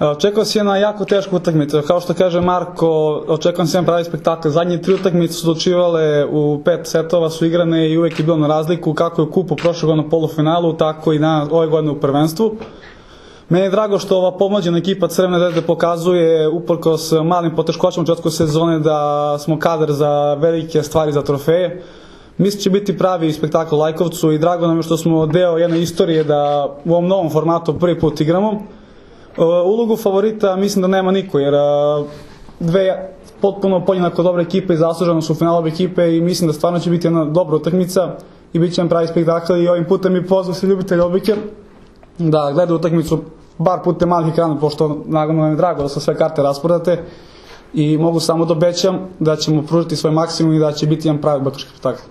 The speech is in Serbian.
Očekao se jedna jako teška utakmica. Kao što kaže Marko, očekujem se jedan pravi spektakl. Zadnje 3 utakmice su dočivale u 5 setova, su igrane i uvek je bilo na razliku, kako je u kupu prošle godine u polufinalu, tako i ove godine u prvenstvu. Meni je drago što ova pomlađena ekipa Crvene zvezde pokazuje, uprkos malim poteškoćama u početku sezone, da smo kadar za velike stvari, za trofeje. Mislim da će biti pravi spektakl u Lajkovcu i drago nam je što smo deo jedne istorije da u ovom novom formatu prvi put igramo. Ulogu favorita mislim da nema niko, jer dve potpuno podjednako dobre ekipe i zasluženo su finalove ekipe i mislim da stvarno će biti jedna dobra utakmica i bit će nam pravi spektakl i ovim putem mi pozvao se ljubitelji odbojke da gledaju utakmicu bar putem malih ekrana, pošto naravno nam je drago da su sve karte rasprodate i mogu samo da obećam da ćemo pružiti svoj maksimum i da će biti jedan pravi odbojkaški spektakl.